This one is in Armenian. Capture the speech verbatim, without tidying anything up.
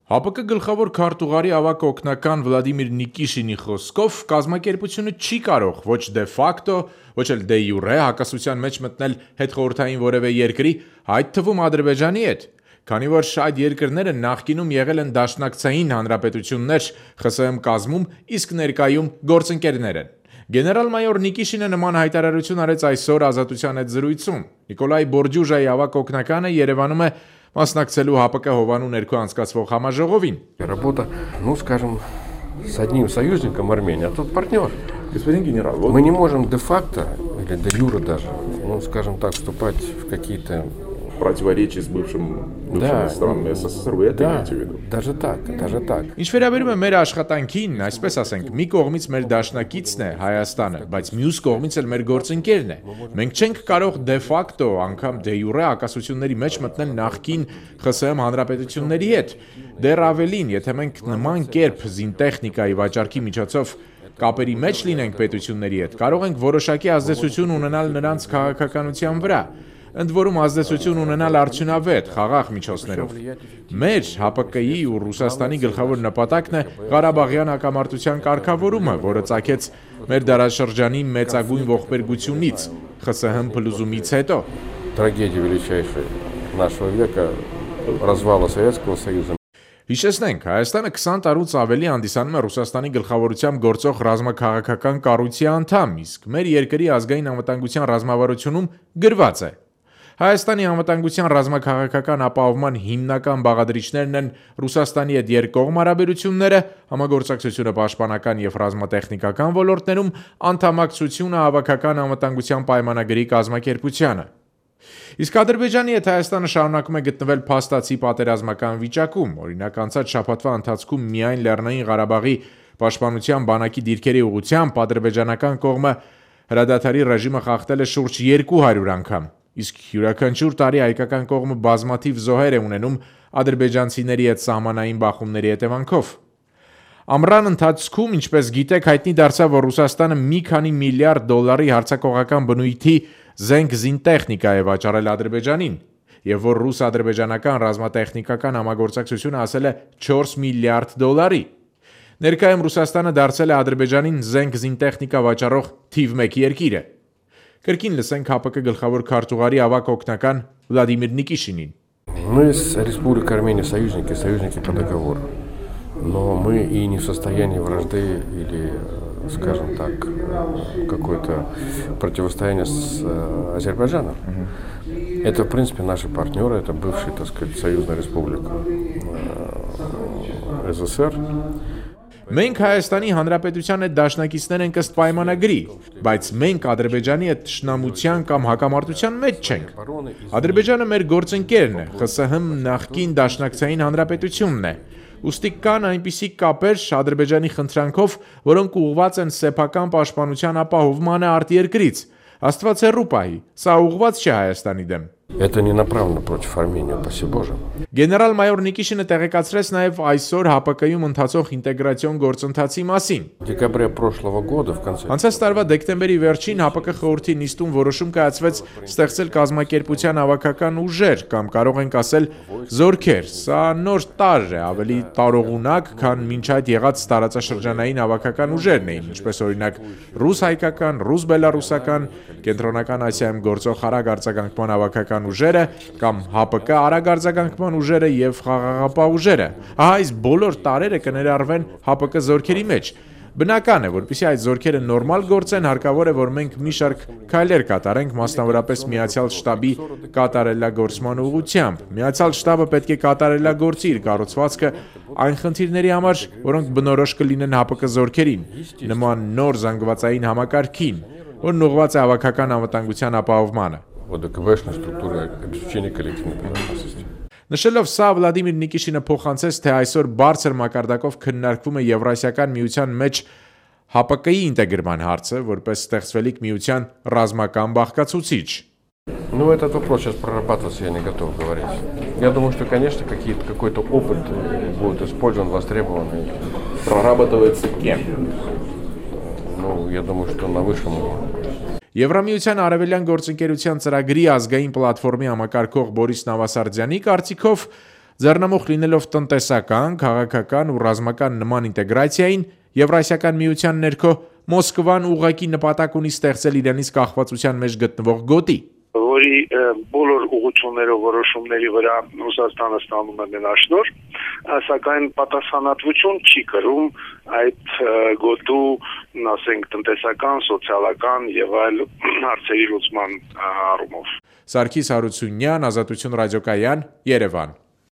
ՀԱՊԿ գլխավոր քարտուղարի ավագ օգնական Վլադիմիր Նիկիշինի խոսքով կազմակերպությունը չի կարող ոչ դե ֆակտո, ոչ էլ դե յուրե հակասության մեջ մտնել հետխորհրդային որևէ երկրի, այդ թվում Ադրբեջանի հետ, քանի որ այդ երկրները նախկինում եղել են դաշնակցային հանրապետություններ ԽՍՀՄ կազմում, իսկ ներկայում գործընկերներ են։ Գեներալ-մայոր Նիկիշինը նման հայտարարություն արեց այսօր Ազատության հետ զրույցում։ Նիկոլայ Բորդյուժայի ավագ օգնականը Երևանում է մասնակցելու ՀԱՊԿ Հովանու ներքո անցկացվող համաժողովին։ Работа, ну, скажем, с одним союзником Армении, а тут партнер. Господин генерал, вот... Мы не можем де-факто, или де-юре даже, ну, скажем так, вступать в какие-то... противоречия с бывшим, бывшими да, странами СССР, вы это да, имеете в виду? Даже так, даже так. Ինչ վերաբերում է մեր աշխատանքին, այսպես ասենք, մի կողմից մեր դաշնակիցն է Հայաստանը, բայց մյուս կողմից էլ մեր գործընկերն է։ Մենք չենք կարող դե ֆակտո, անգամ դե յուրե հակասությունների մեջ մտնել նախկին ԽՍՀՄ հանրապետությունների հետ։ Դեռ ավելին, եթե մենք նման կերպ զինտեխնիկայի վաճառքի միջոցով կապերի մեջ լինենք պետությունների հետ, կարող ենք որոշակի ազդեցություն ունենալ նրանց քաղաքականության վրա։ Ընդ որում ազդեցություն ունենալ արդյունավետ, խաղաղ միջոցներով։ Մեր ՀԱՊԿ-ի ու Ռուսաստանի գլխավոր նպատակն է Ղարաբաղյան հակամարտության կարգավորումը, որը ծագեց մեր դարաշրջանի մեծագույն ողբերգությունից, ԽՍՀՄ փլուզումից հետո։ Трагедия величайшая нашего века развала Советского Союза. Հիշեցնենք, Հայաստանը քսան տարուց ավելի հանդիսանում է Ռուսաստանի գլխավորությամբ գործող ռազմաքաղաքական կառույցի անդամ, իսկ մեր երկրի ազգային անվտանգության ռազմավարությունում գրված է. Հայաստանի անվտանգության ռազմաքաղաքական ապահովման հիմնական բաղադրիչներն են Ռուսաստանի հետ երկկողմ հարաբերությունները, համագործակցությունը պաշտպանական եւ ռազմատեխնիկական ոլորտներում, անդամակցությունը հավաքական անվտանգության պայմանագրի կազմակերպությանը։ Իսկ Ադրբեջանի հետ Հայաստանը շարունակում է գտնվել փաստացի պատերազմական վիճակում, օրինակ անցած շաբաթվա ընթացքում միայն Լեռնային Ղարաբաղի պաշտպանության բանակի դիրքերի ուղղությամբ ադրբեջանական կողմը հրադադարի ռեժիմը խախտել է շուրջ երկու հարյուր անգամ, իսկ յուրաքանչյուր տարի հայկական կողմը բազմաթիվ զոհեր է ունենում ադրբեջանցիների հետ սահմանային բախումների հետևանքով։ Ամռան ընթացքում, ինչպես գիտեք, հայտնի դարձավ, որ Ռուսաստանը մի քանի միլիարդ դոլարի հարձակողական բնույթի զենք զինտեխնիկա է վաճառել Ադրբեջանին, եւ որ ռուս-ադրբեջանական ռազմատեխնիկական համագործակցությունը հասել է չորս միլիարդ դոլարի։ Ներկայում Ռուսաստանը դարձել է Ադրբեջանին զենք զինտեխնիկա վաճառող թիվ մեկ երկիրը։ Կրկին լսենք ՀԱՊԿ գլխավոր քարտուղարի ավագ օգնական Վլադիմիր Նիկիշինին։ Мы с Республикой Армения союзники, союзники по договору. Но мы и не в состоянии вражды или, скажем так, какое-то противостояние с Азербайджаном. Это, в принципе, наши партнеры, это бывшая, так сказать, союзная республика СССР. Մենք Հայաստանի Հանրապետության հետ դաշնակիցներ ենք ըստ պայմանագրի, բայց մենք Ադրբեջանի հետ թշնամության կամ հակամարտության մեջ չենք։ Ադրբեջանը մեր գործընկերն է, ԽՍՀՄ նախկին դաշնակցային հանրապետությունն է։ Ուստի կան այնպիսի կապեր Ադրբեջանի խնդրանքով, որոնք ուղղված են սեփական պաշտպանության ապահովմանը արտերկրից։ Աստված հեռու պահի, սա ուղղված չէ Հայաստանի դեմ։ Это не направлено против Армении, упаси Боже. Գեներալ-մայոր Նիկիշինը տեղեկացրեց նաև այսօր ՀԱՊԿ-ում ընթացող ինտեգրացիոն գործընթացի մասին։ В декабре прошлого года в конце Անցած տարվա դեկտեմբերի վերջին ՀԱՊԿ խորհրդի նիստում որոշում կայացվեց ստեղծել կազմակերպության հավաքական ուժեր կամ կարող ենք ասել զորքեր։ Սա նոր տարր է, ավելի տարողունակ, քան մինչ այդ եղած տարածաշրջանային հավաքական ուժերն էին, ինչպես օրինակ ռուս-հայկական, ռուս-բելարուսական, կենտրոնական Ասիայում գործող արագ արձագանքման հավաքական ուժերը կամ ՀԱՊԿ արագ արձագանքման ուժերը եւ խաղաղապահ ուժերը։ Ահա այս բոլոր տարրերը կներառվեն ՀԱՊԿ զորքերի մեջ։ Բնական է, որպեսզի այդ զորքերը նորմալ գործեն, հարկավոր է, որ մենք մի շարք քայլեր կատարենք, մասնավորապես Միացյալ շտաբի կատարելագործման ուղղությամբ։ Միացյալ շտաբը պետք է կատարելագործի իր կառուցվածքը այն խնդիրների համար, որոնք բնորոշ կլինեն ՀԱՊԿ զորքերին, նման նոր զանգվածային համակարգին, որն ուղղված է հավաքական անվտանգության ապահովմանը։ ОДКБ-шной структуры обеспечения коллективной безопасности. Նշելով սա, Վլադիմիր Նիկիշինը փոխանցեց, թե այսօր բարձր մակարդակով քննարկվում է Եվրասիական միության մեջ ՀԱՊԿ-ի ինտեգրման հարցը, որպես ստեղծվելիք միության ռազմական բաղկացուցիչ։ Ну, этот вопрос сейчас прорабатываться я не готов говорить. Я думаю, что, конечно, какие-то, какой-то опыт будет использован, востребован. Прорабатывается кем? Ну, я думаю, что на высшем уровне. Եվրամիության արևելյան գործընկերության ծրագրի ազգային պլատֆորմի համակարգող Բորիս Նավասարդյանի կարծիքով Ձեռնամուխ լինելով տնտեսական, քաղաքական ու ռազմական նման ինտեգրացիային, Եվրասիական միության ներքո Մոսկվան ուղղակի նպատակ ունի ստեղծել իրենից կախվածության մեջ գտնվող գոտի, որի բոլոր ուղղություններով որոշումների վրա Ռուսաստանը ստանում է մենաշնորհ, սակայն պատասխանատվություն չի կրում այդ գոտու, ասենք, տնտեսական, սոցիալական եւ այլ հարցերի լուծման առումով։ Սարգիս Հարությունյան, Ազատություն ռադիոկայան, Երևան։